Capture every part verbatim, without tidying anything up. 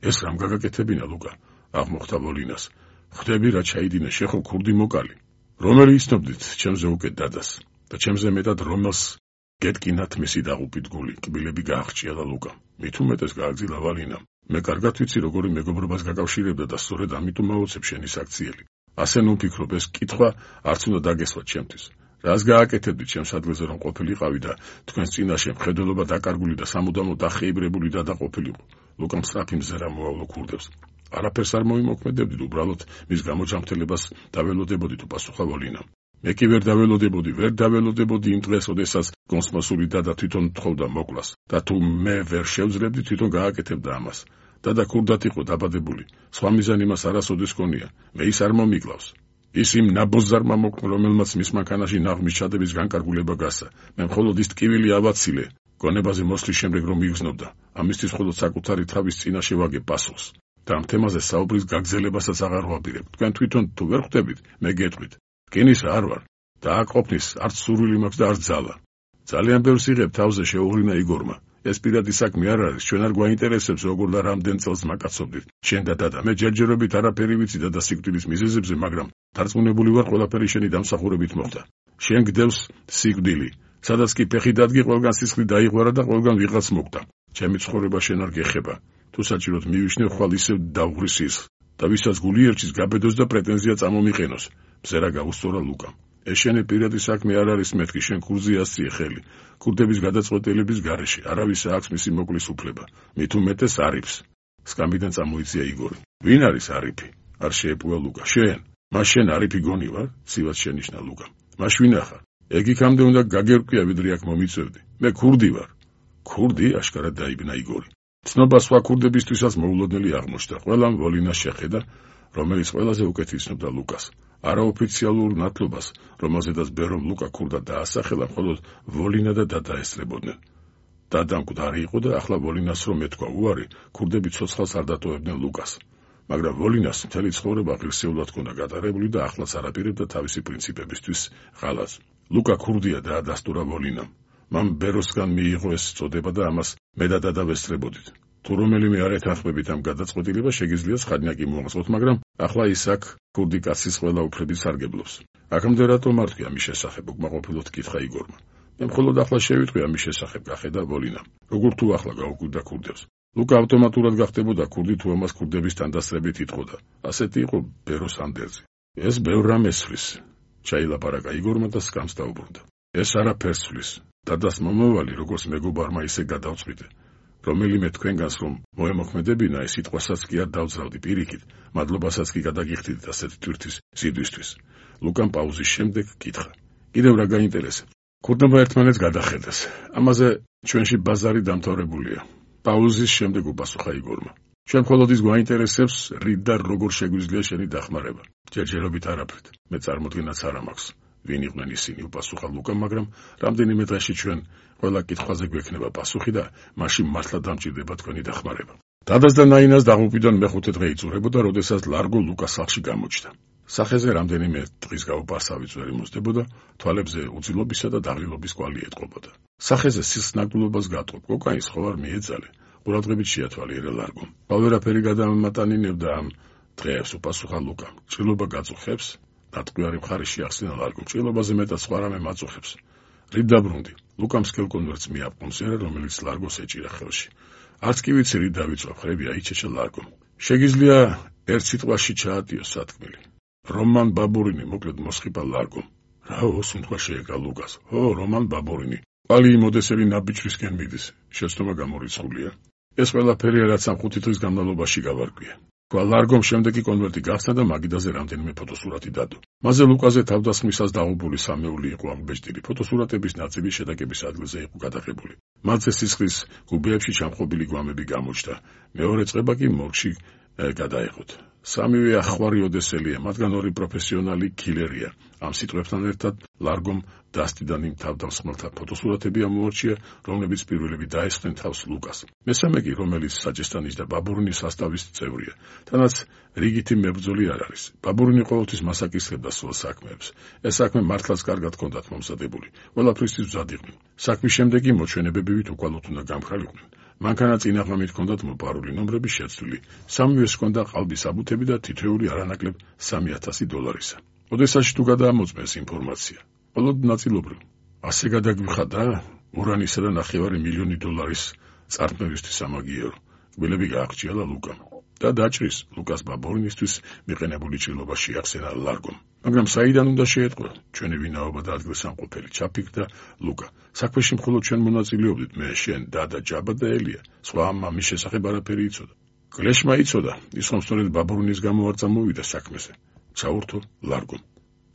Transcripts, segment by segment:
ეს რამ გაგაკეთებინა ლუკა? აღმოხდა ვოლინას. ხვდები რა ჩაიდინა შეხო ქურდი მოკალი. რომელი იცნობდით ჩემზე უკეთ დადას და ჩემზე მეტად რომელს გეტკინათ მისი დაღუპით გული, კბილები გააღჭიალა ლუკამ. მით უმეტეს გააგზილა ვალინამ. მე კარგად ვიცი როგორი მეგობრობას გაკავშირებდა და სწორედ ამიტომ მოვუცებ შენი საქციელი. ასე ნუ ვფიქრობ ეს კითხვა არც უნდა დაგესვათ ჩემთვის. რას გააკეთებდი ჩემს ადგილზე რომ ყოფილიყავი და თქვენს წინაშე მხედველობა დაკარგული და სამუდამოდ დახეიბრებული და დაყოფილიყო. ლუკამ სწრაფი მზერა მოავლო ქურდებს. არაფერს არ მოიმოქმედებდით, უბრალოდ მის გამოჯანმრთელებას დაველოდებოდით, უპასუხა ვოლინამ. მე კი ვერ დაველოდებოდი, ვერ დაველოდებოდი იმ დღეს, როდესაც გონსმასული დადა თვითონ თხოვდა მოკლას და თუ მე ვერ შევძლებდი, თვითონ გააკეთებდა ამას. დადა ქურდად იყო დაბადებული, სხვა მიზანი მას არასოდეს ჰქონია, მე ის არ მომიკლავს. ის იმ ნაბოზარმა მოკვდა, რომელმაც მის მანქანაში ნაღმის ჩადების განკარგულება გასცა. მე მხოლოდ ის ტკივილი ავაცილე, გონებაზე მოსვლის შემდეგ რომ იგრძნობდა. ამისთვის მხოლოდ საკუთარი თავის წინაშე ვაგებ პასუხს. და ამ თემაზე საუბრის გაგრძელებასაც აღარ ვაპირებ. თქვენ თვითონ თუ ვერ ხვდებით, მე გეტყვით. რკინის არ ვარ. დააყოფნის არც სურვილი მაქვს და არც ძალა. ძალიან ბევრს იღებ თავზე შეუღვლინა იგორმა. ეს პირადი საქმე არ არის, ჩვენ არ გვაინტერესებს როგორ და რამდენ წელს მაკაცობდით. შენ და დადა, მე ჯერჯერობით არაფერი ვიცი და სიკვდილის მიზეზებზე, მაგრამ დარწმუნებული ვარ, ყველაფერი შენი დამსახურებით მოხდა. შენ გდევს სიკვდილი, სადაც კი ფეხი დადგე, ყველგან სისხლი დაიღვარა და ყველგან ვიღაც მოკვდა. ჩემი ცხოვრება შენ არ გეხება. თუ საჭიროდ მივიშნე, ხვალ ისევ დავღრი სისხლს და ვისაც გული ერჩის გაბედოს და პრეტენზია წამომიყენოს. მზერა გაუსწორა ლუკამ. ეს შენი პირადი საქმე არ არის, მეთქი, შენ ქურდზე ასწიე ხელი. ქურდების გადაწყვეტილების გარეშე არავის აქვს მისი მოკლის უფლება. მით უმეტეს არიფს. სკამბიდან წამოიწია იგორი. ვინ არის არიფი? არ შეეპუა ლუკა. შენ. მას შენ არიფი გონი ვარ? ცივად შენიშნა ლუკამ. მას ვინა ხარ? ეგ იქამდე უნდა გაგერკვია, ვიდრე აქ მომიწევდი. მე ქურდი ვარ. ქურდი? აშკარად დაიბნა იგორი. ცნობა სხვა ქურდებისთვისაც მოულოდნელი აღმოჩნდა. ყველამ ვოლინას შეხედა, რომელიც ყველაზე უკეთ იცნობდა ლუკას. არაოფიციალურ ნათლობას, რომელზედაც ბერომ ლუკა ქურდა დაასახელა, მხოლოდ ვოლინა და დადა ესწრებოდნენ. დადა მკვდარი იყო და ახლა ვოლინას რომ ეთქვა უარი, ქურდები ცოცხალს არ დატოვებდნენ ლუკას. მაგრამ ვოლინას მთელი ცხოვრება ღირსეულად ჰქონდა გატარებული და ახლაც არაპირებდა თავისი პრინციპებისთვის ღალატს. ლუკა ქურდია და დასტურა ვოლინამ. მან ბეროსგან მიიღო ეს წოდება და ამას მე და დადა ვესწრებოდით. თუ რომელიმე არ ეთანხმებით ამ გადაწყვეტილებას, შეგიძლია ცხადნაკი მოაღწევთ, მაგრამ ახლა ის აქ ქურდი კაცის ყველა უფლების სარგებლობს. აქამდე რატომ მარტივია ამის შესახებ, უკმაყოფილოდ კითხა იგორმა. მე მხოლოდ ახლა შევიტყვი ამის შესახებ, გახედა ვოლინამ. როგორ თუ ახლა გაუკვირდა ქურდებს. ლუკა ავტომატურად გახდებოდა ქურდი, თუ ამას ქურდების თანდასწრებით იტყოდა. ასეთი იყო ბეროს ანდერძი. ეს ბევრ რამეს ცვლის. ჩაილაპარაკა იგორმა და სკამს დაუბრუნდა. ეს არაფერს ცვლის. დადას მომავალი, როგორც მეგობარმა ისე გადავწყვიტე. რომელიმე თქვენგანს რომ მოემოქმედებინა, ეს სიტყვასაც კი არ დავძრავდი პირიქით, მადლობასაც კი გადაგიხდით ასეთი თვირთვის სიდვისთვის. ლუკამ პაუზის შემდეგ კითხა. კიდევ რა გაინტერესებს? ქურდობა ერთმანეთს გადახედეს. ამაზე ჩვენში ბაზარი დამთავრებულია. პაუზის შემდეგ უპასუხა იგორმა. ჩვენ მხოლოდ ის გვაინტერესებს, რით და როგორ შეგვიძლია შენი დახმარება. ჯერჯერობით არაფრით. მე წარმოდგენაც არ მაქვს. ვინ იყვნენ ისინი, უპასუხა ლუკამ, მაგრამ რამდენიმე დღეში ჩვენ ყველა კითხვაზე გვექნება პასუხი და მაშინ მართლა დამჭირდება თქვენი დახმარება. დადას და ნაინას დაღუპვიდან მეხუთე დღე იწურებოდა, როდესაც ლარგო ლუკას სახლში გამოჩნდა. სახეზე რამდენიმე დღის გაუპარსავი წვერი მოსდებოდა, თვალებზე უძილობისა და დაღილობის კვალი ეტყობოდა. სახეზე სისხლის ნაგდულობას გატყობ, კოკაინს ხო არ მიეძალე. ყურადღებით შეათვალიერა ლარგომ. ყველაფერი გადამატანინებდა ამ დღეებს, უპასუხა ლუკამ. ჭრილობა გაწუხებს? დატყვიარი მხარი შეახსენა ლარგომ. ჭრილობაზე მეტად სხვა რამე მაწუხებს. რით დაბრუნდი? ლუკამ სკელ კონვერტს მიაპყუნსერა, რომელიც ლარგოს ეჭირა ხელში. არც კი ვიცი რით დავიწყო, ხრები აიჩეჩა ლარგომ. შეგიძლია ერთ სიტყვაში ჩაატიო სათქმელი. რომან ბაბურინი, მოკლედ მოსხიბა ლარგომ. რაო, სუნთქვა შეეკრა ლუკას. ო, რომან ბაბურინი. ყვალი იმოდესელი ნაბიჯვისკენ მიდის. შეცდომა გამორიცხულია. ეს ყველაფერი რაც ამ ხუთი დღის განმავლობაში გავარკვია. ქვა ლარგომ შემდეგი კონვერტი გახსნა და მაგიდაზე რამდენიმე ფოტოსურათი დადო. მასზე ლუკაზე თავდასხმისას დაღუპული სამეული იყო აღბეჭდილი. ფოტოსურათების ნაწილი შეტაკების ადგილზე იყო გადაღებული. მათზე სისხლის გუბეებში ჩამხობილი გვამები გამოჩნდა. მეორე წყება კი მორგში გადაეღოთ. სამივე ახვარი ოდესელია, მათგან ორი პროფესიონალი კილერია. ამ სიტყვებთან ერთად ლარგომ დასტიდან იმ თავდასხმელთა ფოტოსურათები ამოარჩია, რომლებიც პირველები დაესხნენ თავს ლუკას. მესამე კი, რომელიც საჭესტანის და ბაბურინის სასტავის წევრია. თანაც რიგითი მებრძოლი არ არის. ბაბურინი ყოველთვის მასაკისებდა სულ საქმეებს. ეს საქმე მართლაც კარგად ჰქონდათ მომზადებული. ყველაფრისთვის მზად იყვნენ. საქმის შემდეგი მოჩვენებებივით უკვალოდ უნდა გამხრალიყვნენ. მანქანა წინაღამით ჰქონდათ მოპარული ნომრები შეცვლილი, სამივეს ჰქონდა ყალბის აბუთები და თითოეული არანაკლებ სამი ათასი დოლარისა. ოდესაში თუ გადაამოწმეს ინფორმაცია, მხოლოდ ნაწილობრივ. ასე გადაგვიხადა ურანისა და ნახევარი მილიონი დოლარის წარქმევისთვის სამაგიერო. გველები გააღჭიალა ლუკამ და დაჭრის ლუკას ბაბორინისთვის მიყენებული ჭრილობა შეახსენა ლარგომ. მაგრამ საიდან უნდა შეეტყვა ჩვენი ვინაობა და ადგილსამყოფელი ჩაფიქრდა ლუკა. საქმეში მხოლოდ ჩვენ მონაწილეობდით მე, შენ, დადა, ჯაბა და ელია. სხვა ამა მის შესახებ არაფერი იცოდა. კლეშმა იცოდა, ის ხომ სწორედ ბაბორინის გამო არ წამოვიდა საქმეზე. საურთო ლარგომ.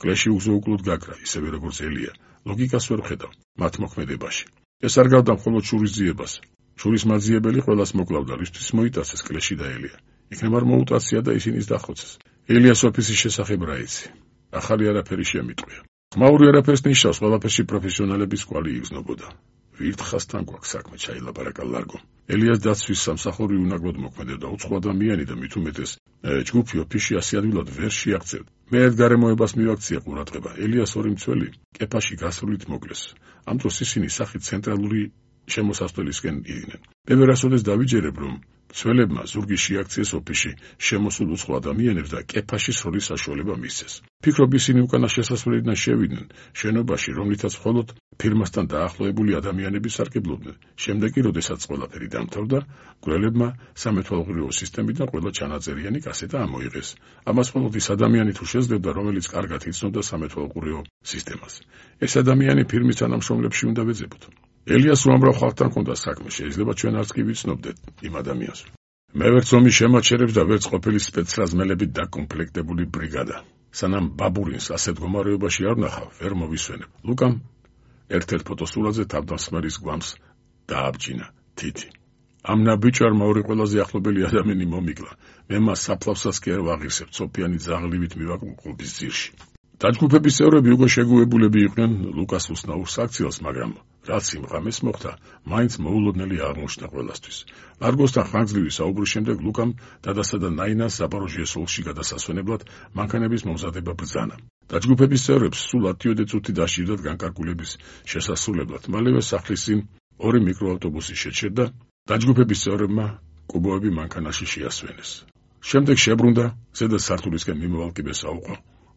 კლეში უზოუკლოდ გაქრა, ისევე როგორც ელია. ლოგიკას ვერ ხედავ მათ მოქმედებაში. ეს არ გავდა მხოლოდ შურის ძიებას. შურის მაძიებელი ყველას მოკლავდა, რისთვის მოიტაცეს კლეში და ელია. იქნებ არ მოუტაცია და ისინის დახოცეს. ელიას ოფისის შესახებ რა იცი? ახალი არაფერი შემიტყვია. ხმაური არაფერს ნიშნავს, ყველაფერში პროფესიონალების კვალი იგრძნობოდა. ვირთხასთან გვაქვს საქმე, ჩაილაპარაკა ლარგომ. ელიას დაცვის სამსახური უნაგლოდ მოქმედებდა, უცხო ადამიანი და მით უმეტეს ჯგუფი ოფისში ასი ადგილად ვერ შეაღწევდა. მე ერთ გარემოებას მივაქცია ყურადღება. ელიას ორი მცველი კეფაში გასრულით მოკლეს. ამ დროს ისინი სახით ცენტრალური შემოსასვლელისკენ იდნენ. მე ვერასოდეს დავიჯერებ, რომ მცველებმა ზურგი შეაქციეს ოფისში შემოსულ უცხო ადამიანებს და კეფაში სროლის საშუალება მისცეს. ფიქრობ ისინი უკანა შესასვლელიდან შევიდნენ შენობაში, რომლითაც მხოლოდ ფირმასთან დაახლოებული ადამიანები სარგებლობდნენ. შემდეგ კი, როდესაც ყველაფერი დამთავრდა, გველებმა სამეთვალყურეო სისტემიდან ყველა ჩანაწერიანი კასეტა ამოიღეს. ამას მხოლოდ ის ადამიანი თუ შეძლებდა, რომელიც კარგად იცნობდა სამეთვალყურეო სისტემას. ეს ადამიანი ფირმის თანამშრომლებში უნდა ვეძებოთ. ელიას უამრავ ხალხთან ჰქონდა საქმე, შეიძლება ჩვენ არც კი ვიცნობდეთ იმ ადამიანს. მე ვერც ომის შემაჩერებს და ვერც ყოფილი სპეცრაზმელებით დაკომპლექტებული ბრიგადა. სანამ ბაბურინს ასეთ მდგომარეობაში არ ვნახავ, ვერ მოვისვენებ. ლუკამ ერთ-ერთ ფოტოსურათზე თავდამსხმელის გვამს დააბჯინა თითი. ამ ნაბიჯარმა ორი ყველაზე ახლობელი ადამიანი მომიკლა. მე მას საფლავსას კი არ ვაღირსებ, სოფიანი ძაღლივით მივაკმაყოფილების ძირში. დაჯგუფების წევრები უკვე შეგუებულები იყვნენ ლუკას უსნაურს აქციელს, მაგრამ რაც იმ ღამეს მოხდა, მაინც მოულოდნელი აღმოჩნდა ყველასთვის. ლარგოსთან ხანგრძლივი საუბრის შემდეგ ლუკამ დადასა და ნაინას ზაპოროჟიეს ოლქში გადასასვენებლად მანქანების მომზადება ბრძანა. დაჯგუფების წევრებს სულ ათიოდე წუთი დასჭირდათ განკარგულების შესასრულებლად. მალევე სახლის წინ ორი მიკროავტობუსი შეჩერდა. დაჯგუფების წევრებმა კუბოები მანქანაში შეასვენეს. შემდეგ შებრუნდა ზედა სართულისკენ მიმავალ კიბეს აუყო.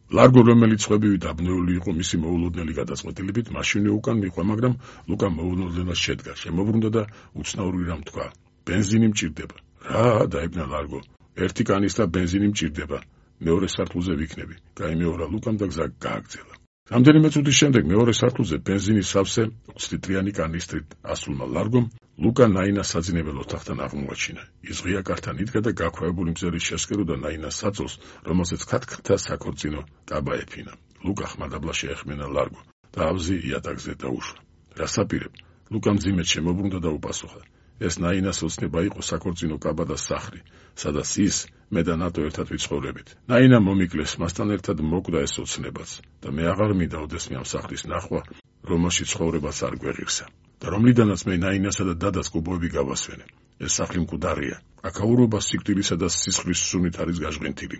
ლარგო, რომელიც ხვებივი დაბნეული იყო მისი მოულოდნელი გადაწყვეტილებით, მაშინვე უკან მიჰყვა, მაგრამ ლუკა მოულოდნელად შედგა, შემოbrunდა და უცნაური რამ თქვა. ბენზინი მჭირდება. რა? დაიბნა ლარგო. ერთი კანისტრა ბენზინი მჭირდება. მეორე სართულზე ვიქნები. გაიმეორა ლუკამ და გზა გააგრძელა. რამდენიმე წუთის შემდეგ მეორე სართულზე ბენზინის სავსე ოც ლიტრიანი კანისტრით ასულმა ლარგომ ლუკა ნაინას საძინებელ ოთახთან აღმოაჩინა. ის ღია კართან იდგა და გაქვავებული მზერის შესკეროდა ნაინას საწოლს, რომელზეც ქათქთა საქორწინო კაბა ეფინა. ლუკა ხმადაბლა შეეხმენა ლარგო და ავზი იატაკზე დაუშვა. რასაპირებ? ლუკამ მძიმედ შემოbrunდა და უპასუხა. ეს ნაინას ოცნება იყო საქორწინო კაბა და სახლი, სადაც ის მე და ნატო ერთად ვიცხოვრებით. ნაინა მომიკლეს, მასთან ერთად მოკვდა ეს ოცნებაც და მე აღარ მინდა ოდესმე ამ სახლის ნახვა, რომელშიც ცხოვრებაც არ გვეღირსა. და რომლიდანაც მე ნაინასა და დადას კუბოები გავასვენე. ეს სახლი მკვდარია. აქაურობა სიკვდილისა და სისხლის სუნით არის გაჟღენთილი.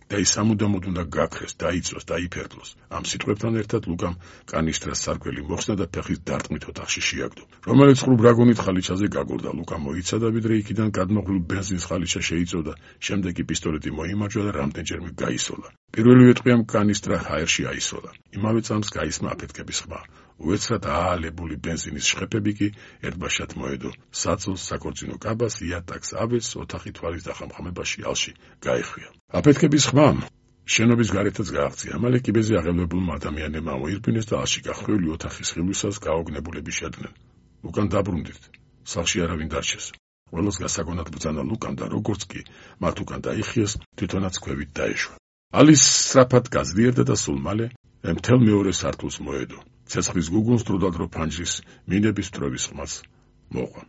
და ის ამუდამოდ უნდა გაქრეს, დაიწვას, დაიფერდლოს. ამ სიტყვებთან ერთად ლუკამ კანისტრას სარკველი მოხსნა და ფეხის დარტყმით ოთახში შეაგდო. რომელიც ყრუ ბრაგონით ხალიჩაზე გაგორდა. ლუკა მოიცადა, ვიდრე იქიდან გადმოღლილ ბენზინს ხალიჩა შეიწოდა, შემდეგ კი პისტოლეტი მოიმარჯვა და რამდენჯერმე გაისოლა. პირველივე ტყვიამ კანისტრა ჰაერში აისოლა. იმავე წამს გაისმა აფეთქების ხმა. უეცრად აალებული ბენზინის შხეფები კი ერთბაშად მოედო საწოლს, საქორწინო კაბას, იატაკს, ავეს, ოთახი თვალის დახამხამებაში ალში გაეხვია. აფეთქების ხმამ შენობის გარეთაც გააღწია. მალე კიბეზე აღებლებულმა ადამიანებმა მოირბინეს და ალში გახვეული ოთახის ხილვისას გაოგნებულები შედნენ. უკან დაბრუნდით. სახლში არავინ დარჩეს. ყველას გასაგონად ბრძანა ლუკამ და როგორც კი მათ უკან დაიხიეს, თვითონაც ქვევით დაეშვა. ალის სწრაფად გაძლიერდა და სულ მალე მთელ მეორე სართულს მოედო. ცეცხლის გუგუნს დროდადრო ფანჯრის მინების ტროვის ხმას მოყვა.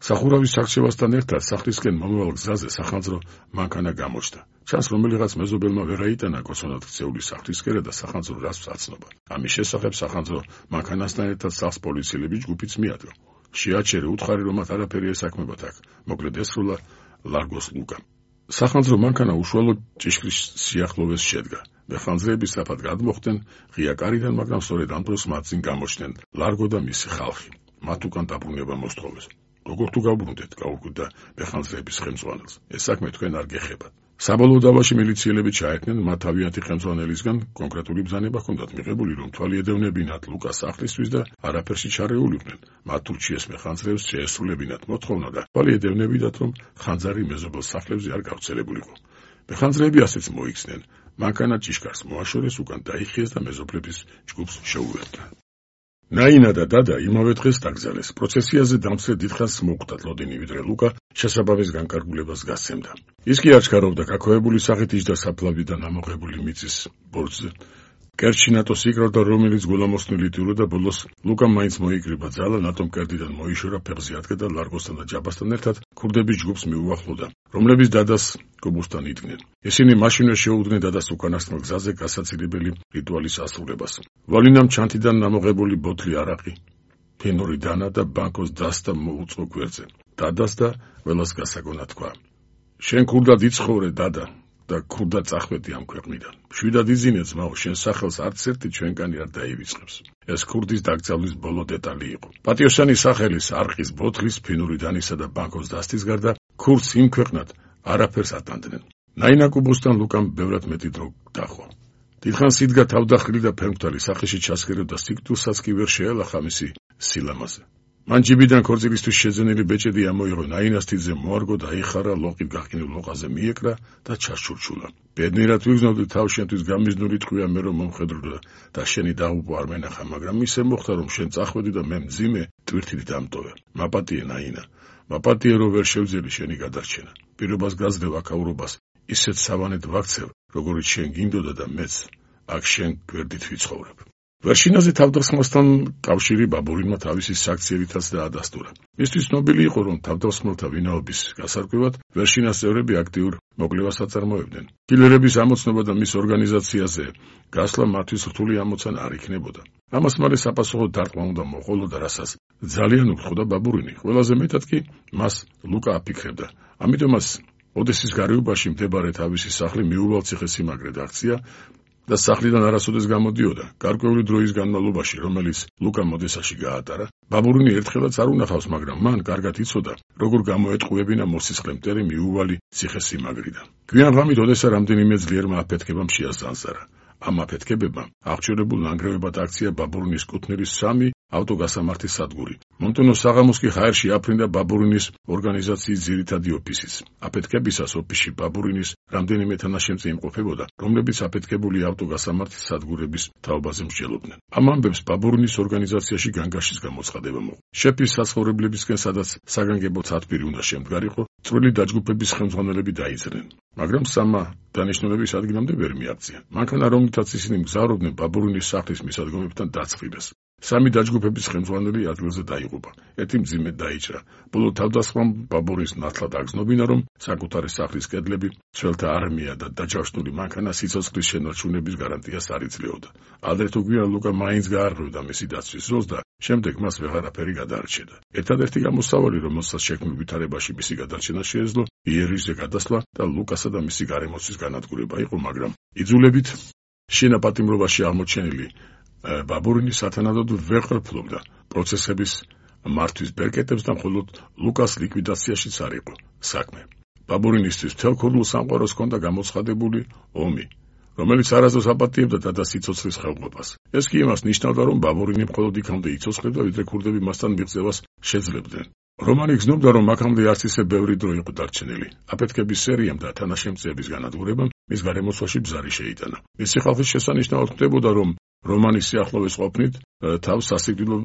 სახურავის არჩევასთან ერთად სახლისკენ მომავალ გზაზე სახანძრო მანქანა გამოჩნდა. ჩანს რომელიღაც მეზობელმა ვერ აიტანა კოცონად ქცეული სახლისკერა და სახანძრო რას აცნობა. ამის შესახებ სახანძრო მანქანასთან ერთად სახლს პოლიციელები ჯგუფიც მიადგა. შეაჩერე, უთხარი რომ მათ არაფერი ესაქმებათ აქ. მოკლედ ესრულა ლარგოს ლუკამ. სახანძრო მანქანა უშუალოდ ჭიშკრის სიახლოვეს შედგა. მეხანძრეები სწრაფად გადმოხდნენ ღია კარიდან, მაგრამ სწორედ ამ დროს მათ წინ გამოჩნდნენ ლარგო და მისი ხალხი. მათ უკან დაბრუნება მოსთხოვეს. როგორ თუ გავბრუნდეთ, გაუკვირდა მეხანძრეების ხელმძღვანელს. ეს საქმე თქვენ არ გეხებათ. საბოლოო დავაში მილიციელები ჩაერთნენ მათ თავიანთი ხელმძღვანელისგან კონკრეტული ბრძანება ჰქონდათ მიღებული, რომ თვალი ედევნებინათ ლუკას სახლისთვის და არაფერში ჩარეულიყვნენ. მათ თურქიეს მეხანძრეებს შეესრულებინათ მოთხოვნა და თვალი ედევნებინათ, რომ ხანძარი მეზობელ სახლებზე არ გავრცელებულიყო. მეხანძრეები ასეც მოიქცნენ. მანქანა ჭიშკარს მოაშორეს, უკან დაიხიეს და მეზობლების ჯგუფს შეუერთდა. ნაინა და დადა იმავე დღეს დაკრძალეს. პროცესიაზე დამცრე დიდხანს მოუხდათ ლოდინი, ვიდრე ლუკა შესაბამის განკარგულებას გასცემდა. ის კი არ ჩქარობდა გაქოებული სახით იჯდა საფლავიდან ამოღებული მიწის ბორცზე. კერძში ნატოს იკრავდა, რომელიც გულამოსნილი ტირო და ბოლოს ლუკამ მაინც მოიკრიბა ძალა, ნატომ კერდიდან მოიშორა, ფეხზე ადგა და ლარგოსთან და ჯაბასთან ერთად ქურდების ჯგუფს მიუახლოვდა, რომლებიც დადას კობუსთან იდგნენ. ისინი მაშინვე შეუდგნენ დადას უკანასკნელ გზაზე გასაცილებელი რიტუალის ასრულებას. ვალინამ ჩანთიდან ამოღებული ბოთლი არაყი, ფენური დანა და ბანკოს დასთა მოუწყო გვერდზე. დადას და ველას გასაგონა თქვა: შენ ქურდად იცხოვრე, დადა, და ქურდად წახვედი ამ ქვეყნიდან. მშვიდად იზინე ძმაო, შენ სახელს არც ერთი ჩვენგანი არ დაივიწყებს. ეს ქურდის დაკრძალვის ბოლო დეტალი იყო. პატიოსანი სახელის, არყის, ბოთლის, ფინური დანისა და ბანკოს დასთის გარდა ქურდს იმ ქვეყნად არაფერს ატანდნენ. ნაინა კუბოსთან ლუკამ ბევრად მეტი დრო დახვა. დიდხანს იდგა თავდახრილი და ფერმთალი სახეში ჩასქერებდა, სიკვდილსაც კი ვერ შეელახა მისი სილამაზე. მან ჯიბიდან ქორწილისთვის შეძენილი ბეჭედი ამოიღო, ნაინას თითზე მოარგო და აიხარა, ლოყით გაყინულ ლოყაზე მიეკრა და ჩასჩურჩულა. ბედნიერად ვიგრძნობდი, თავ შენთვის გამიზნული ტყვია მე რომ მომხედრდა და შენი დაღუპვა არ მენახა, მაგრამ ისე მოხდა, რომ შენ წახვედი და მე მძიმე ტვირთით დამტოვე. მაპატიე ნაინა, მაპატიე რომ ვერ შევძელი შენი გადარჩენა. პირობას გაძლევ აქაურობას, ისეთ სავანედ ვაქცევ, როგორც შენ გინდოდა და მეც აქ შენ გვერდით ვიცხოვრებ. ვერშინაზე თავდასხმასთან კავშირი ბაბურინმა თავისი საქციელითაც დაადასტურა. მისთვის ცნობილი იყო, რომ თავდასხმელთა ვინაობის გასარკვევად ვერშინას წევრები აქტიურ მოკვლევას აწარმოებდნენ. კილერების ამოცნობა და მის ორგანიზაციაზე გასვლა მათთვის რთული ამოცანა არ იქნებოდა. ამას მალე საპასუხო დარტყმა უნდა მოყოლოდა, რასაც ძალიან უხდა ბაბურინი. ყველაზე მეტად კი მას ლუკა აფიქრებდა. ამიტომაც ოდესის გარეუბაში მდებარე თავისი სახლი მიუვალციხესიმაგრედ აქცია და სახლიდან არასოდეს გამოდიოდა. გარკვეული დროის განმავლობაში, რომელიც ლუკამ ოდესაში გაატარა, ბაბურინი ერთხელაც არ უნახავს, მაგრამ მან კარგად იცოდა, როგორ გამოეტყუებინა მოსისხლე მტერი მიუვალი ციხესიმაგრიდან. გვიან ღამით ოდესა რამდენიმე ძლიერმა აფეთქებამ შეასწანსარა. ამ აფეთქებებმა აღჭურებულ ნანგრევებად აქცია ბაბურინის კუთვნილის სამი ავტოგასამართის სადგური. მომტენო საღამოს კი ჰაერში აფრინდა ბაბურინის ორგანიზაციის ძირითადი ოფისიც. აფეთქებისას ოფისში ბაბურინის რამდენიმე თანაშემწე იმყოფებოდა, რომლებიც აფეთქებული ავტოგასამართის სადგურების თაობაზე მსჯელობდნენ. ამ ამბებს ბაბურინის ორგანიზაციაში განგაშის გამოცხადება მოყვა. შეფის საცხოვრებლებისკენ, სადაც საგანგებო ცათბირი უნდა შემდგარიყო, წვრილი დაჯგუფების ხელმძღვანელები დაიძრნენ. მაგრამ სამა დანიშნულების ადგილამდე ვერ მიაღწია. მანქანა, რომლითაც ისინი მგზავრობდნენ ბაბურინის სახლის მისადგომებთან, დაწყვიტეს. სამი დაჯგუფების ხელმძღვანელი ადგილზე დაიღუპა. ერთი მძიმედ დაიჭრა. ბოლო თავდასხმამ ბაბურის ნათლად აგზნობინა, რომ საკუთარი სახლის კედლები, ძველთა არმია და დაჯავშნული მანქანა სიცოცხლის შენარჩუნების გარანტიას არ იძლეოდა. ადრე თუ გვიან ლუკა მაინც გაარღვევდა მისი დაცვის ზოლს და შემდეგ მას ვეღარაფერი გადაარჩედა. ერთადერთი გამოსავალი, რომელსაც შექმნილ ვითარებაში მისი გადარჩენა შეეძლო, იერიშზე გადასვლა და ლუკასა და მისი გარემოცვის განადგურება იყო, მაგრამ იძულებით შენაპატიმრობაში აღმოჩენილი ბაბურინი სათანადოდ ვერ ყოფილობდა პროცესების მართვის ბერკეტებს და მხოლოდ ლუკას ლიკვიდაციაშიც არ იყო საქმე. ბაბურინისთვის მთელ ქურდულ სამყაროს ჰქონდა გამოცხადებული ომი, რომელიც არასდროს აპატიებდა დადას სიცოცხლის ხელყოფას. ეს კი იმას ნიშნავდა, რომ ბაბურინი მხოლოდ იქამდე იცოცხლებდა, ვიდრე ქურდები მასთან მიღწევას შეძლებდნენ. რომანი გრძნობდა, რომ აქამდე არც ისე ბევრი დრო იყო დარჩენილი. აფეთქების სერიამ და თანაშემწეების განადგურებამ მის გარემოცვაში ბზარი შეიტანა. მისი ხალხის შესანიშნავად ხდებოდა, რომ რომანის სიახლოვეს ყოფნით თავს სასიკვდილო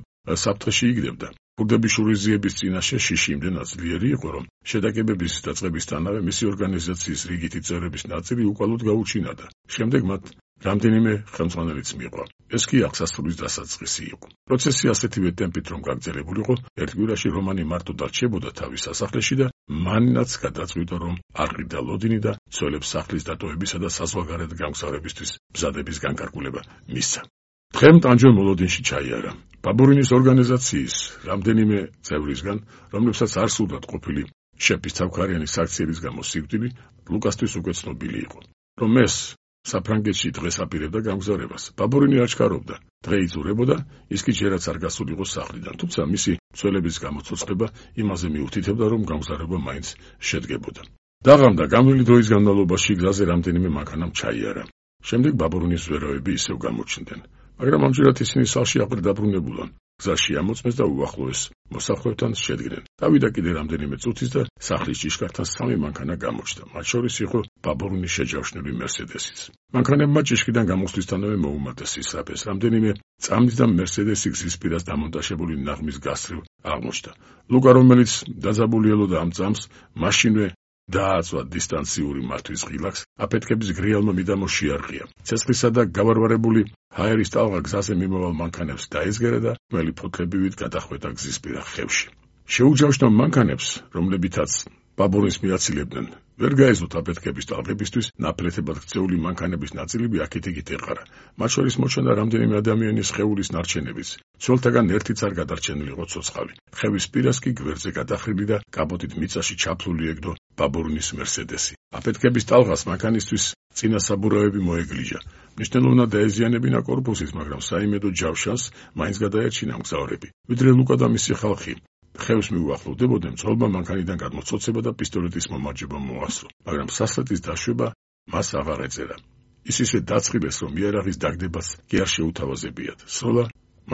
საფრთხეში იგდებდა. ქურდების შურიზიების წინაშე შიში იმდენად ძლიერი იყო, რომ შეტაკებების დაწყებისთანავე მისი ორგანიზაციის რიგითი წევრების ნაწილი უკვალოდ გაუჩინარდა. შემდეგ მათ რამდენიმე ხელმძღვანელიც მიიღო. ეს კი აღსასრულის დასაწყისი იყო. პროცესი ასეთივე ტემპით რომ გაგრძელებულიყო, ერთ კვირაში რომანი მარტო დარჩებოდა თავის სასახლეში და მანაც გადაწყვიტა, რომ არყიდა ლოდინი და ცოლებს სახლის დატოვებისა და საზღვარგარეთ გამგზავრებისთვის მზადების განკარგულება მისცა. დღემ ტანჯო მოლოდინში ჩაიარა. ბაბურინის ორგანიზაციის რამდენიმე წევრისგან, რომლებსაც არ სურდათ ყოფილი შეფის თავქარიანი საქციელის გამო სიკვდილი, ლუკასთვის უკვე ცნობილი იყო, რომ ეს საფრანგეთში დღეს აპირებდა გამგზავრებას. ბაბურინი არ ჩქარობდა. დღე იზურებოდა, ის კი ჯერაც არ გასულიყო სახლიდან, თუმცა მისი მცველების გამოცოცხლება იმაზე მიუთითებდა, რომ გამგზავრება მაინც შედგებოდა. დაღამდა გამრავლი დროის განმავლობაში გზაზე რამდენიმე მანქანამ ჩაიარა. შემდეგ ბაბურინის ზვერავები ისევ გამოჩნდნენ, მაგრამ ამჯერად ისინი სახლში აღარ დაბრუნებულან. გზაში ამოწმეს და უახლოეს მოსახლეებთან შედგნენ. დავიდა კიდე რამდენიმე წუთის და სახლის ჭიშკართან სამი მანქანა გამოჩნდა, მათ შორის იყო ბაბურინის შეჯავშნული მერსედესიც. მანქანებმა ჭიშკიდან გამოსვლისთანავე მოუმატეს ისრაფეს. რამდენიმე წამით და მერსედესი გზის პირას დამონტაჟებული ნაღმის გასწრილ აღმოჩნდა. ლუკა, რომელიც დაძაბული ელოდა ამ წამს, მაშინვე დააწვა დისტანციური მართვის ღილაკს, აფეთქების გრიალმა მიდამო შეარყია. ცეცხლისა და გავარვარებული ჰაერის ტალღა გზაზე მიმავალ მანქანებს დაეზგერა და მელი ფოთლებივით გადახვედა გზისპირა ხევში. შეუჯავშნა მანქანებს, რომლებითაც ბაბურინს მიაცილებდნენ, ვერ გაეზოთ აფეთქების ტალღებისთვის ნაფლეთებად ქცეული მანქანების ნაწილები აქეთ-იქით ეყარა. მათ შორის მოჩანდა რამდენიმე ადამიანის სხეულის ნარჩენებიც. ცოლთაგან ერთიც არ გადარჩენილიყო ცოცხალი. ხევის პირას კი გვერდზე გადახრილი და კაპოტით მიწაში ჩაფლული ეგდო ბაბურინის მერსედესი. აფეთქების ტალღას მანქანისთვის წინა საბურავები მოეგლიჯა. მნიშვნელოვნად დაეზიანებინა კორპუსის, მაგრამ საიმედო ჯავშანს მაინც გადაერჩინა მგზავრები. ვიდრე ლუკა და მისი ხალხი ხევს მიუახლოვდებოდნენ, ძღლმა მანქანიდან გადმოცოცება და პისტოლეტის მომარჯვება მოასწრო, მაგრამ სასრეთის დაშვება მას აღარ ეწერა. ის ისე დაწყილეს, რომ იარაღის დაგდებას კი არ შეუთავაზებიათ. სროლა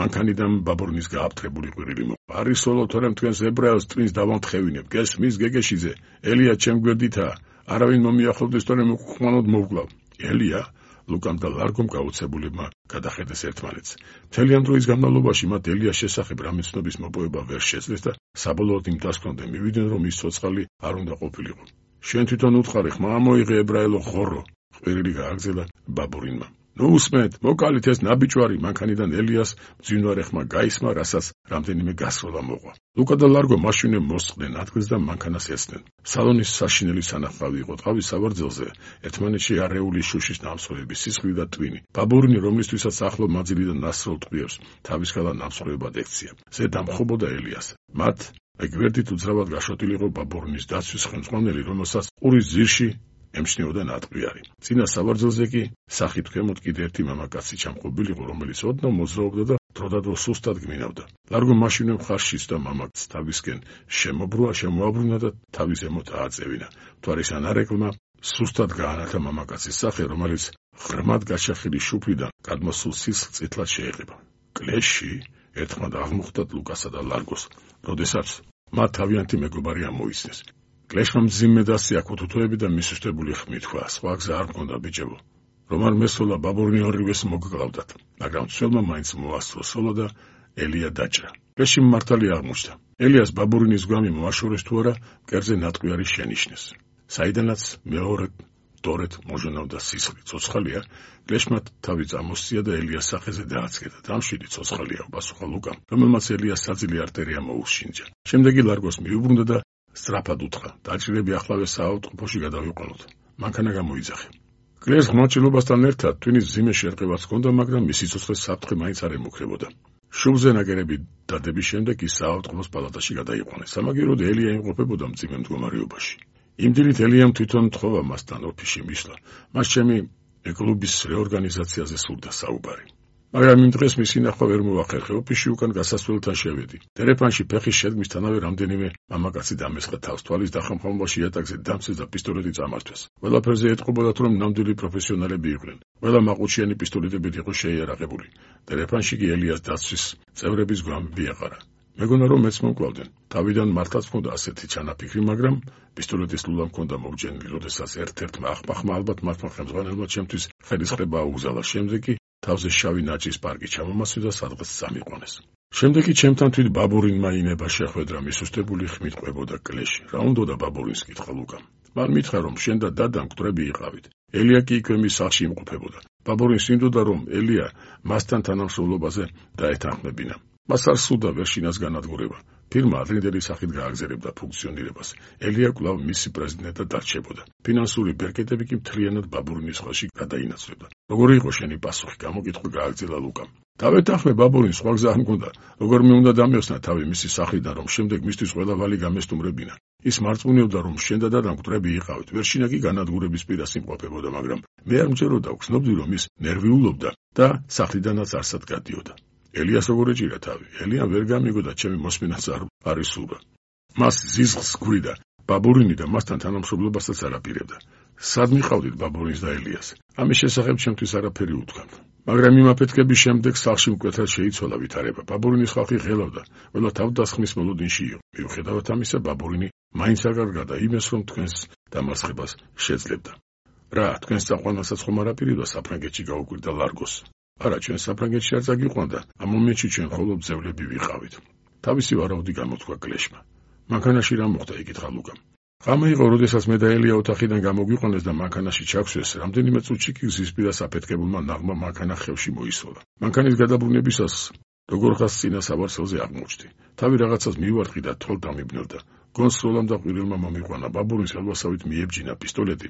მანქანიდან ბაბურინის გააფთრებული ყვირილი მოყვა. არის სოლო, თორემ თქვენს ებრაელს ტვინს დავამთხევინებ. გესმის გეგეშიძე, ელია ჩემ გვერდითაა. არავინ მომიახლოვდეს, თორემ უკუხმანოდ მოვკლავ. ელია ლუკამ და ლარგომ გაუცებულებმა გადახედეს ერთმანეთს. მთელი ამ დროის განმავლობაში მათ ელიას შესახებ რამე ცნობის მოპოვება ვერ შეძლეს და საბოლოოდ იმ დასკვნამდე მივიდნენ, რომ ის ცოცხალი არ უნდა ყოფილიყო. შენ თვითონ უთხარი, ხმა მოიღე ებრაელო ხორო, ყვირილი გააგზელა ბაბურინმა. ნუ უსმენთ, მოკალით ეს ნაბიჯვარი. მანქანიდან ელიას მძინვარე ხმა გაისმა, რასაც რამდენიმე გასროლა მოყვა. ლუკა და ლარგო მაშინვე მოსწყდნენ ადგილს და მანქანას ეცდნენ. სალონის საშინელი სანახავი იყო ტყავის სავარძელზე, ერთმანეთში არეული შუშის ნამსხვრევები, სისხლი და ტვინი. ბაბურინი, რომლისთვისაც ახლო მაძილი და ნასროლ ტყვიებს თავის ხელა ნამსხვრევებად ექცია. ზედამხობოდა ელიას. მათ ეგვერდით უძრავად გაშოტილიყო ბაბურინის დაცვის ხელმძღვანელი, რომელსაც ყურის ძირში ემჩნეოდა ნატყვიარი. წინა სავარძელზე კი სახით ქვემოთ კიდე ერთი მამაკაცი ჩამყობილიყო, რომელიც ოდნავ მოძრაობდა და დროდადრო სუსტად გმინავდა. ლარგო მაშინვე მხარში და მამაკაცს თავისკენ შემობრუა, შემოაბრუნა და თავის ზემოთ ააწევინა. მთვარის ანარეკლმა სუსტად გაანათა მამაკაცის სახე, რომელიც ღრმად გაჩახილი შუფლიდან გადმოსულ სისხლს წითლად შეეყება. კლეში ერთხმად აღმოხდათ ლუკასა და ლარგოს, როდესაც მათ თავიანთი მეგობარი ამოიცნეს. კლეშმა მძიმე დასიაქო თუთოები და მისუსტებული ხმით თქვა, სხვა გზა არ მქონდა ბიჭებო. რომ არ მესვლა ბაბურინი ორივეს მოგკლავდათ, მაგრამ ცველმა მაინც მოასწრო სოლო და ელია დაჭრა. კლეში მართალი აღმოჩნდა. ელიას ბაბურინის გვამი მოაშორეს თუ არა, მკერდზე ნატყვიარი შენიშნეს. საიდანაც მეორე დორეთ მოჟონავდა სისხლი. ცოცხალია, კლეშმა თავი წამოსწია და ელიას სახეზე დააცკედა. დამშვიდი ცოცხალია, პასუხა ლუკამ, რომელმაც ელიას საძილი არტერია მოუშინჯა. შემდეგ კი ლარგოს მიუბრუნდა და სწრაფად უთხრა, დაჭრილები ახლავე საავადმყოფოში გადავიყვანოთ. მანქანა გამოიძახე. კლეს ღმრთილობასთან ერთად ტვინის მძიმე შერყევაც ჰქონდა, მაგრამ მისი სიცოცხლე საფრთხე მაინც არ ემუქრებოდა. შუბზე ნაგერები დადების შემდეგ ის საავადმყოფოს პალატაში გადაიყვანეს. სამაგიეროდ ელია იმყოფებოდა მძიმე მდგომარეობაში. იმ დილით ელიამ თვითონ თხოვა მასთან ოფისში მისვლა. მას ჩემი კლუბის რეორგანიზაციაზე სურდა საუბარი. მაგრამ იმ დღეს მისი ნახვა ვერ მოახერხე. ოფისში უკან გასასვლელთან შევედი. ტელეფონში ფეხის შედგმისთანავე რამდენიმე მამაკაცი დამესხა თავს, თვალის დახამხამობაში იატაკზე დამცეს და პისტოლეტი წამართვეს. ყველაფერზე ეტყობოდათ, რომ ნამდვილი პროფესიონალები იყვნენ. ყველა მაყუჩიანი პისტოლეტებით იყო შეიარაღებული. ტელეფონში კი ელიას დაცვის წევრების გვამები ეყარა. მეგონა რომ მეც მომკლავდნენ. თავიდან მართლაც მქონდა ასეთი ჩანაფიქრი, მაგრამ პისტოლეტის ლულა მქონდა მოგჯენილი, როდესაც ერთ-ერთმა ახმახმა ალბათ მართლა ხელმძღვანელმა ჩემთვის ხელისყრება აუგზალა. შემდეგ კი თავზე შავი ნაჭის პარკი ჩამომასვი და სადღაც წამიყვანეს. შემდეგ კი ჩემთან თვით ბაბურინმა ინება შეხვედრა, მისუსტებული ხმით ყვებოდა კლეში. რა უნდოდა ბაბურინს კითხა ლუკამ. მან მითხრა, რომ შენ და დადა მკვდრები იყავით. ელია კი იქვე მის სახლში იმყოფებოდა. ბაბურინს ინდოდა, რომ ელია მასთან თანამშრომლობაზე დაეთანხმებინა. მას არ სურდა ვერშინას განადგურება. ფირმა ადრინდელი სახით გააგზავნებდა ფუნქციონირებას. ელია კვლავ მისი პრეზიდენტად დარჩებოდა. ფინანსური ბერკეტები კი მთლიანად ბაბურინის ხელში გადაინაცვლებდა. როგორი იყო შენი პასუხი? გამოკითხვა გააგრძელა ლუკამ. დავეთანხმე ბაბურინს სხვა გზა არ მქონდა, როგორ მე უნდა დამეოსნა თავი მისი სახლიდან, რომ შემდეგ მისთვის ყველა ვალი გამესტუმრებინა. ის მარწმუნეობდა, რომ შენ და დადამ მკვდრები იყავით, ვერშინა კი განადგურების პირას იმყოფებოდა, მაგრამ მე არ მჯეროდა, ვგრძნობდი, რომ ის ნერვიულობდა და სახლიდანაც არსად გადიოდა. ელიას როგორ ეჭირა თავი? ელიამ ვერ გამიგოდა ჩემი მოსმენაც არ არის სურა. მას ზიზღს გვირდა ბაბურინი და მასთან თანამშრომლობასაც არაპირებდა. სად მიყავდით ბაბურინს და ელიას? ამის შესახებ ჩემთვის არაფერი უთქვამთ. მაგრამ იმ აფეთქების შემდეგ სახლში მკვეთრად შეიცვალა ვითარება. ბაბურინის ხალხი ღელავდა, ყველა თავდასხმის მოლოდინში იყო. მიუხედავად ამისა, ბაბურინი მაინც არ გარგადა იმას, რომ თქვენს დამარცხებას შეძლებდა. რა, თქვენს წაყვანასაც ხომ არაპირებდა საფრანგეთში გაუკვირდა ლარგოს? არა, ჩვენ საფრანგეთში არ წაგიყვანდა, ამ მომენტში ჩვენ მხოლოდ ძევლები ვიყავით. თავისი ვარაუდი გამოთქვა კლეშმა. მანქანაში რა მოხდა? იკითხა ლუკამ. ღამე იყო, როდესაც მე და ელია ოთახიდან გამოგვიყვანეს და მანქანაში ჩაგვსვეს, რამდენიმე წუთში კი გზის პირას აფეთქებულმა ნაღმა მანქანა ხევში მოისროლა. მანქანის გადაბრუნებისას როგორ ხას წინა სავარცხელზე აღმოჩნდი. თავი რაღაცას მივარტყი და თვალ დამიბნევდა. გონსროლამ და ყვირილმა მომიყვანა. ბაბურინს ელვასავით მიებჯინა პისტოლეტი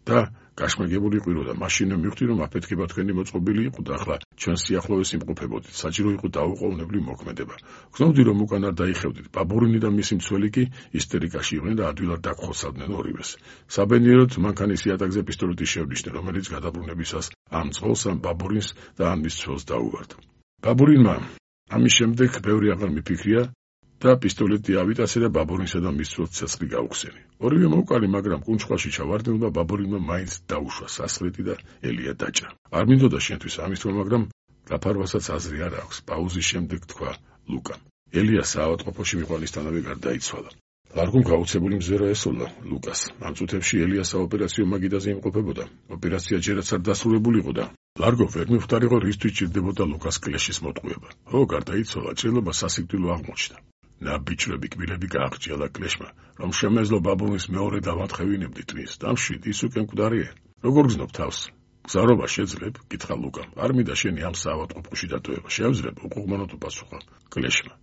და გაშმაგებული ყვიროდა. მაშინ მივხვდი, რომ აფეთქება თქვენი მოწყობილი იყო და ახლა ჩვენ სიახლოვეს იმყოფებოდით. საჭირო იყო დაუყოვნებლივ მოქმედება. გრძნობდი, რომ უკან არ დაიხევდით. ბაბურინი და მისი მცველი კი ისტერიკაში იყვნენ და ადვილად დაგხოცავდნენ ორივეს. საბედნიეროდ მანქანის იატაკზე პისტოლეტი შევნიშნე, რომელიც გადაბრუნებისას ამ წყოლს, ამ ბაბურინს და ამ მის მცველს დაუვარდა. ბაბურინმა ამის შემდეგ ბევრი აღარ მიფიქრია და პისტოლეტი ავიტასე და ბაბურინსა და მის მცველს ცეცხლი გაუხსენი. ორივე მოვკალი, მაგრამ კუნჩხვაში ჩავარდნილმა ბაბურინმა მაინც დაუშვა სასხლეტი და ელია დაჭრა. არ მინდოდა შენთვის ამის თქმა, მაგრამ გაფარვასაც აზრი არ აქვს. პაუზის შემდეგ თქვა ლუკამ. ელია საავადმყოფოში მიყვანისთანავე გარდაიცვალა. ლარგომ გაუცებული მზერა ესოლა ლუკას. ამ წუთებში ელია საოპერაციო მაგიდაზე იმყოფებოდა. ოპერაცია ჯერაც არ დასრულებულიყო და ლარგო ვერ მივხვდარიყო, რისთვის ჭირდებოდა ლუკას კლეშის მოტყუება. ო, გარდაიცვალა, ჭრილობა სასიკვდილო აღმოჩნდა. ნაბიჯრები კბილები გააღჭიალა კლეშმა, რომ შემეძლო ბაბურინს მეორე დავატხევინებდი ტვინს. დამშვიდ, ის უკვე მკვდარია. როგორ გზნობ თავს? გზარობა შეძლებ? კითხა ლუკამ. არ მინდა შენი ამ საავადმყოფოში დატოვება. შევძლებ? უყუყმანოდ უპასუხა კლეშმა.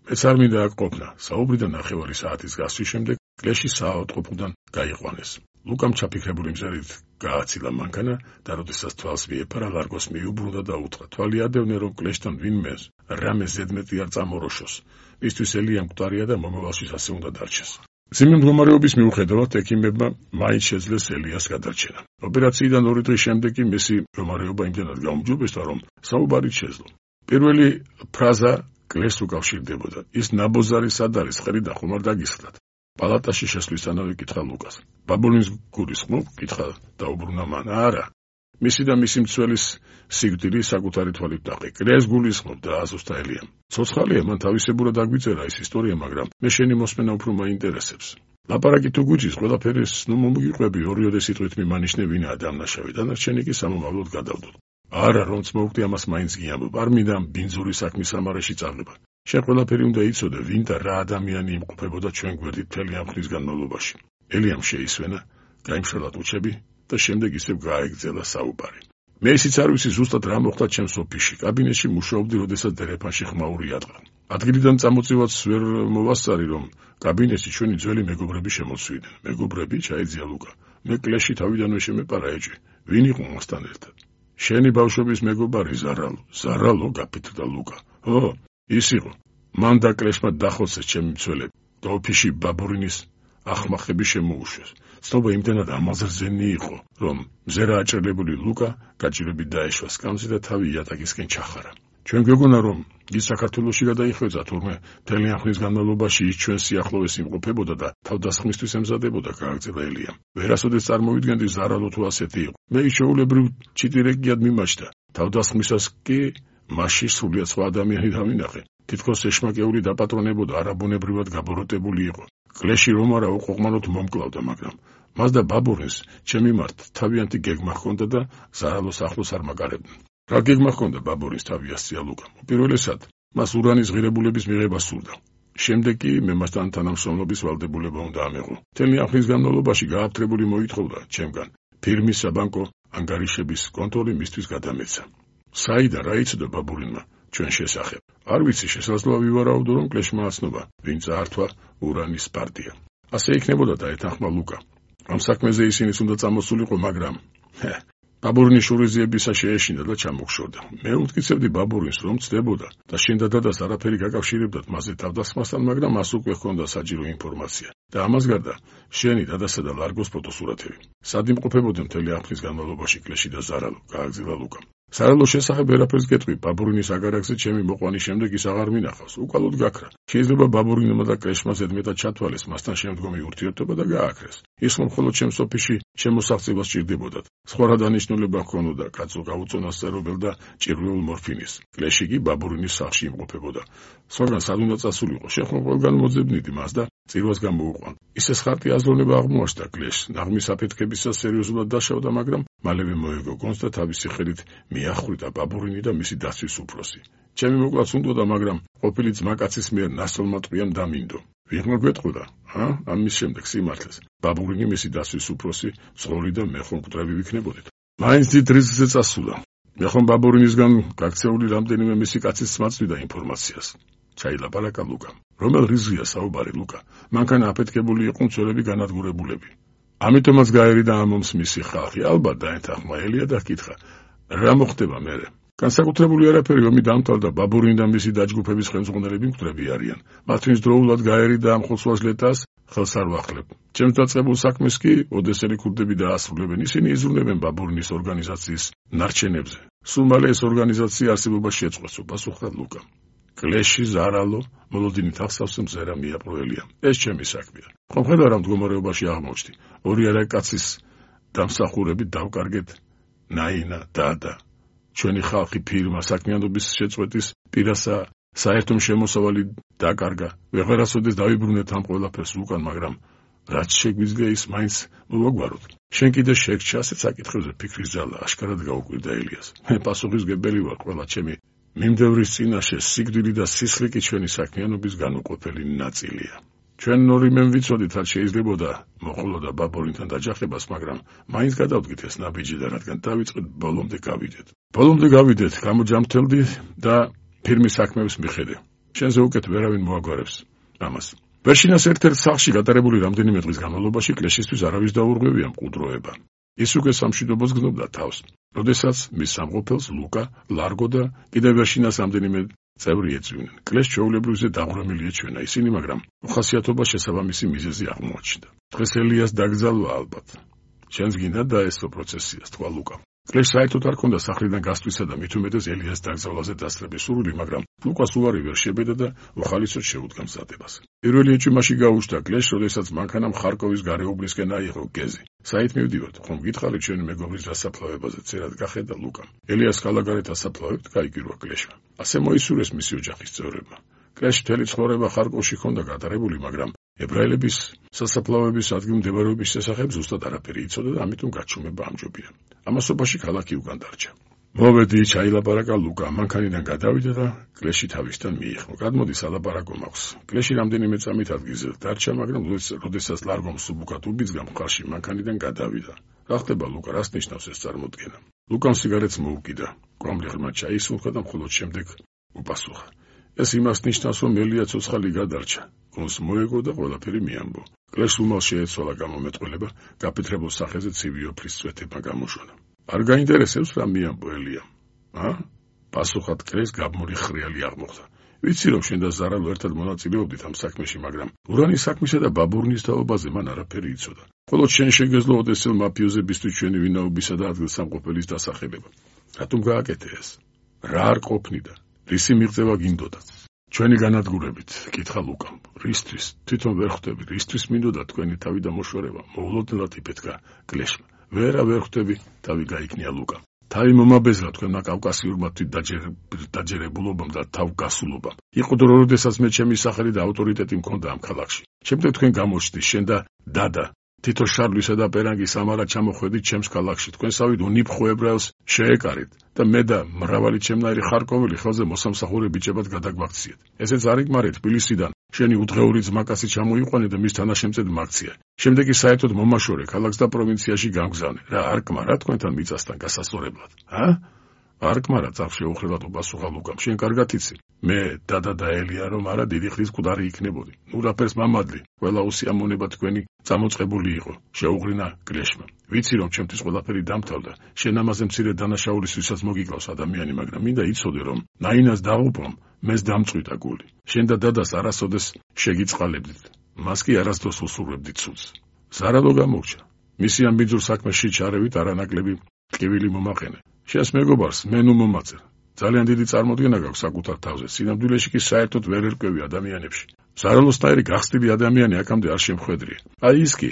მეც არ მინდა აქ ყოფნა. საუბრიდან ნახევარი საათის გასვლის შემდეგ კლეში საავადმყოფოდან გაიყვანეს. ლუკამ ჩაფიქრებული მზერით გააცილა მანქანა და როდესაც თვალს მიეფარა, ლარგოს მიუბრუნდა და უთხრა: თვალი ადევნე, რომ კლეშთან ვინმე რამე ზედმეტი არ წამოროშოს. მისთვის ელია მკვდარია და მომავალშიც ასე უნდა დარჩეს. მძიმე მდგომარეობის მიუხედავად ექიმებმა მაინც შეძლეს ელიას გადარჩენა. ოპერაციიდან ორი დღის შემდეგ კი მისი მდგომარეობა იმდენად გაუმჯობესდა, რომ საუბარიც შეძლო. პირველი ფრაზა კლეშს უკავშირდებოდა: ის ნაბოზარი სად არის, ხრიდან ხომ არ დაგისხდათ? პალატაში შესვლისთანავე კითხა ლუკას. ბაბურინს გულისხმობ? კითხა დაუბრუნა მან. არა. მისი და მისი მცველის სიკვდილი საკუთარი თვალით დაყი. კლეშს გულისხმობ და აზუსტა ელიამ. ცოცხალია, მან თავისებურად აგვიწერა ეს ისტორია, მაგრამ მე შენი მოსმენა უფრო მაინტერესებს. ლაპარაკი თუ გვიჭის, ყველაფერის ნუ მომიგიყვები, ორიოდე სიტყვით მიმანიშნე ვინაა დამნაშავე, დანარჩენი კი სამომავლოდ გადავდოთ. არა, რომც მოვკვდი, ამას მაინც გიამბობ. არ მინდა ბინძური საქმის სამარეში წაღვება. შენ ყველაფერი უნდა იცოდე, ვინ და რა ადამიანი იმყოფებოდა ჩვენ გვერდით მთელი ამ ხნის განმავლობაში. ელიამ შეისვენა, გაიმშრალა ტუჩები და შემდეგ ისევ გააეგრძელა საუბარი. მე ისიც არ ვიცი ზუსტად რა მოხდა ჩემს ოფისში. კაბინეტში მუშაობდი, როდესაც დერეფანში ხმაური ატყდა. ადგილიდან წამოწევაც ვერ მოვასწარი, რომ კაბინეტში ჩვენი ძველი მეგობრები შემოსვიდნენ. მეგობრები? ჩაიძია ლუკა. მე კლეში თავიდანვე შემეპარა ეჭვი. ვინ იყო მასთან ერთად? შენი ბავშვობის მეგობარი ზარალო. ზარალო? გაფრთხილდა ლუკა. ო, ის იყო. მან და კლეშმა დახოცეს ჩემი მცველები და ოფისში ბაბურინის ახმახები შემოუშვეს. ცნობა იმდენად ამაზრზენი იყო, რომ მზერა აჭრილებული ლუკა გაჭირებით დაეშვა სკამზე და თავი იატაკისკენ ჩახარა. ჩვენ გვეგონა, რომ ის საქართველოში გადაიხვეწა, თურმე მთელი ამ ხნის განმავლობაში ის ჩვენ სიახლოვეს იმყოფებოდა და თავდასხმისთვის ემზადებოდა, გააგრძელა ელიამ. ვერასოდეს წარმოვიდგენდი ზარალო თუ ასეთი იყო. მე ის შეულებრივ ჩიტირეკიად მიმაჩნდა. თავდასხმისას კი მასში სრულიად სხვა ადამიანი დავინახე. თითქოს ეშმაკეული დაპატრონებოდა, არაბუნებრივად გაბოროტებული იყო. კლეში რომ არა უყუყმანოდ მომკლავდა, მაგრამ მას და ბაბურინს ჩემი მართ თავიანთი გეგმა ჰქონდა და ზარალოს ახლოს არ მაგარებდნენ. რა გეგმა ჰქონდა ბაბურინს? თავი ასწია ლუკამ. პირველესად მას ურანის ღირებულების მიღება სურდა. შემდეგ კი მე მასთან თანამშრომლობის ვალდებულება უნდა ამეღო. მთელი ამ ხნის განმავლობაში გააფთრებული მოითხოვდა ჩემგან ფირმის საბანკო ანგარიშების კონტროლი მისთვის გადამეცა. საიდან რა იცოდა ბაბურინმა ჩვენ შესახებ? არ ვიცი, შესაძლოა ვივარაუდო, რომ კლეშმა აცნობა, ვინ წაართვა ურანის პარტია. ასე იქნებოდა და ეთანხმა ლუკა. ამ საქმეზე ისინიც უნდა წამოსულიყო, მაგრამ ბაბურინის შურიზიებისა შეეშინდა და ჩამოგშორდა. მე უთკიცებდი ბაბურინს, რომ ცდებოდა და შენ და დადას არაფერი გაკავშირებდათ მასზე თავდასხმასთან, მაგრამ მას უკვე ჰქონდა საჭირო ინფორმაცია. და ამას გარდა, შენი დადასა და ლარგოს ფოტოსურათები. სად იმყოფებოდნენ მთელი ამ ხნის განმავლობაში კლეში და ზარალო, გააგზავნა ლუკამ. ზარალოს შესახებ ვერაფერს გეტყვი, ბაბურინის აგარაკზე ჩემი მოყვანის შემდეგ ის აღარ მინახავს, უკვალოდ გაქრა. შეიძლება ბაბურინმა და კლეშმა ზედმეტად ჩათვალეს მასთან შემდგომი ურთიერთობა და გააქრეს. ის რომ მხოლოდ ჩემს ოფისში შემოსაღწევას სჭირდებოდათ. სხვა რა დანიშნულება ჰქონოდა კაცო გაუწონასწორებელ და ჭირვეულ მორფინის. კლეში კი ბაბურინის სახლში იმყოფებოდა. სხვაგან სად უნდა წასულიყო, შენ ხომ ყველგან მოძებნიდი მას და წირვას გამოუყვან. ისე ხარტი აზროვნება აღმოაჩნდა კლეშს, ნაღმის აფეთქებისას სერიოზულად დაშავდა, მაგრამ მალევე მოეგო გონს და თავისი ხელით მიახვრიტა ბაბურინი და მისი დაცვის უფროსი. ჩემი მოკლაც უნდოდა, მაგრამ ყოფილი ძმაკაცის მიერ ნასწორმა ტყვიამ დამინდო. ვიღმა გვეტყოდა, ა? ამის შემდეგ სიმართლეს. ბაბურინი, მისი დაცვის უფროსი, ძღოლი და მე ხომ მკვდრები ვიქნებოდით. მაინც დიდ რისკზე წასულა. მე ხომ ბაბურინისგან გაქცეული რამდენიმე მისი კაცის მაწვიდა ინფორმაციას. ჩაილაპარაკა ლუკამ. რომელ რიზია საუბარი ლუკა? მანქანა აფეთქებული იყო მცველები განადგურებულები. ამიტომაც გაერიდა ამომს მისი ხალხი. ალბათ დაეთანხმა ელია და ჰკითხა, რა მოხდება მერე? განსაკუთრებული არაფერი ომი დამთავრდა, ბაბურინი და მისი დაჯგუფების ხელმძღვანელები მკვდრები არიან. მათთვის დროულად გაერიდა ამ ხოცვაჟლეტას ხელს არ ვახლებ. ჩემს დაწყებულ საქმეს კი ოდესელი ქურდები დაასრულებენ, ისინი იზრუნებენ ბაბურინის ორგანიზაციის ნარჩენებზე. სულ მალე ეს ორგანიზაცია არსებობას შეწყვეტს, პასუხა ლუკა. კლეში ზარალო მოლოდინით ახსავს მზერა მიაპროელია. ეს ჩემი საქმეა. ხომ ხედავ რა მდგომარეობაში აღმოჩნდი. ორი არა კაცის დამსახურებით დავკარგეთ ნაინა დადა. ჩვენი ხალხი ფირმა საქმიანობის შეწყვეტის პირასა საერთო შემოსავალი დაკარგა. ვეღარასოდეს დავიბრუნეთ ამ ყველაფერს უკან, მაგრამ რაც შეგვიძლია ის მაინც მოვაგვაროთ. შენ კიდე შეგჭა ასეთ საკითხებზე ფიქრის ძალა, აშკარად გაუკვირდა ელიას. მე პასუხისმგებელი ვარ ყველა ჩემი მიმდევრის წინაშე, სიკვდილი და სისხლი კი ჩვენი საქმიანობის განუყოფელი ნაწილია. ჩვენ ორი მე ვიცოდით, რაც შეიძლებოდა მოხულოდა ბაბურინთან დაჯახებას, მაგრამ მაინც გადავდგით ეს ნაბიჯი და რადგან დავიწყეთ, ბოლომდე გავიდეთ. ბოლომდე გავიდეთ, გამოჯამთელდი და ფირმის საქმეებს მიხედე. შენზე უკეთ ვერავინ მოაგვარებს ამას. ვერშინას ერთ-ერთ სახლში გატარებული რამდენიმე დღის განმავლობაში კლეშისთვის არავის დაურღვევია მყუდროება. ის უკვე სამშვიდობოს გზნობდა თავს. როდესაც მის სამყოფელს ლუკა, ლარგო და კიდევ ვერშინას რამდენიმე წევრი ეწვივნენ. კლეშ ჩვეულებრივზე დაღვრამილი ეჩვენა ისინი, მაგრამ უხასიათობა შესაბამისი მიზეზი აღმოაჩნდა. დღეს ელიას დაგზალვა ალბათ. შენს გინდა დაესწრო პროცესია, თქვა ლუკა. კლეშ საერთოდ არ ქონდა სახლიდან გასვლისა და მით უმეტეს ელიას დაგზავლაზე დასწრების სურვილი, მაგრამ ლუკას უარი ვერ შებედა და უხალისოდ შეუდგა მზადებას. პირველი ეჭვმაში გაუჩნდა კლეშ, როდესაც მანქანამ ხარკოვის გარეუბნისკენ აიღო გეზი. საით მივდივართ, ხომ გითხარი ჩვენი მეგობრის დასაფლავებაზე, წერად გახედა ლუკამ. ელიას ხალაგარეთ ასაფლავებთ, გაიგირვა კლეშმა. ასე მოისურვეს მისი ოჯახის წევრებმა. კლეშ მთელი ცხოვრება ხარკოვში ჰქონდა გატარებული, მაგრამ ებრაელების სასაფლავების ადგილმდებარეობის შესახებ ზუსტად არაფერი იცოდა და ამიტომ გაჩუმება ამჯობია. ამასობაში ქალაქი უკან დარჩა. მოვედი, ჩაილაპარაკა ლუკა, მანქანიდან გადავიდა და კლეში თავისთან მიიღო. გადმოდი სალაპარაკო მაქვს. კლეში რამდენიმე წამით ადგილზე დარჩა, მაგრამ როდესაც ლარგომ სუბუქად უბიძგა მხარში, მანქანიდან გადავიდა. რა ხდება ლუკა, რას ნიშნავს ეს წარმოდგენა? ლუკამ სიგარეტს მოუკიდა. კვამლი ღრმა ჩაისუნხა და მხოლოდ შემდეგ უპასუხა. ეს იმას ნიშნავს, რომ ელია ცოცხალი გადარჩა. გონს მოეგო და ყველაფერი მიამბო. კლეშს უმალ შეეცვალა გამომეტყველება, გაფეთრებულ სახეზე ცივი ოფლის წვეთება გამოშონა. არ გაინტერესებს რა მიამბო ელიამ? ა? პასუხად კლეშს გაბმული ხრიალი აღმოხდა. ვიცი რომ შენ და ზარალო ერთად მონაწილეობდით ამ საქმეში, მაგრამ ურანის საქმისა და ბაბურინის თაობაზე მან არაფერი იცოდა. მხოლოდ შენ შეგეძლო ოდესელ მაფიოზებისთვის ჩვენი ვინაობისა და ადგილსამყოფელის დასახელება. რატომ გააკეთე ეს? რა არ ყოფნი და რისი მიღწევა გინდოდა? ჩვენი განადგურებით, კითხა ლუკამ. რისთვის? თვითონ ვერ ხვდები, რისთვის მინდოდა თქვენი თავი და მოშორება? მოულოდნელად იფეთქა კლეშმა. ვერა ვერ ხვდები, თავი გაიქნია ლუკამ. თავი მომაბეზრა თქვენმა კავკასიურმა დაჯერებულობამ და თავგასულობამ. იყო დრო, როდესაც მე ჩემი სახელი და ავტორიტეტი მქონდა ამ ქალაქში. შემდეგ თქვენ გამოჩნდით, შენ და დადა. თითო შარლისა და პერანგის ამარად ჩამოხვედით ჩემს ქალაქში. თქვენსავით უნიფხო ებრაელს შეეკარით და მე და მრავალი ჩემნაირი ხარკოველი ხელზე მოსამსახურე ბიჭებად გადაგვაქციეთ. ესეც არ იკმარე თბილისიდან. შენი უდღეული ძმაკაცი ჩამოიყვანე და მის თანაშემწედ მაქცია. შემდეგ კი საერთოდ მომაშორე ქალაქს და პროვინციაში გამგზავნე. რა არ კმარა თქვენთან მიწასთან გასასწორებლად? ა? არ კმარა წავს შეუხრელად უპასუხა ლუკამ. შენ კარგად იცი, მე დადა დაელია რომ არა დიდი ხნის მკვდარი იქნებოდი. ნუ რაფერს მამადლი, ყველა უსიამოვნება თქვენი წამოწყებული იყო, შეუღრინა გლეშმა. ვიცი რომ ჩემთვის ყველაფერი დამთავრდა, შენ ამაზე მცირე დანაშაულის ვისაც მოგიკლავს ადამიანი, მაგრამ მინდა იცოდე რომ ნაინას დაღუპვამ მეს დამწვიდა გული. შენ და დადას არასოდეს შეგიწყალებდით, მას კი არასდროს უსურვებდით ცუდს. ზარალო გამორჩა. მისი ამ ბიძურ საქმეში ჩარევით არანაკლები ტკივილი მომაყენე. შენს მეგობარს მე ნუ მომაწერ. ძალიან დიდი წარმოდგენა გაქვს საკუთარ თავზე. სინამდვილეში კი საერთოდ ვერ ერკვევი ადამიანებში. ზარალოსნაირი გახსნილი ადამიანი აქამდე არ შემხვედრია. აი ის კი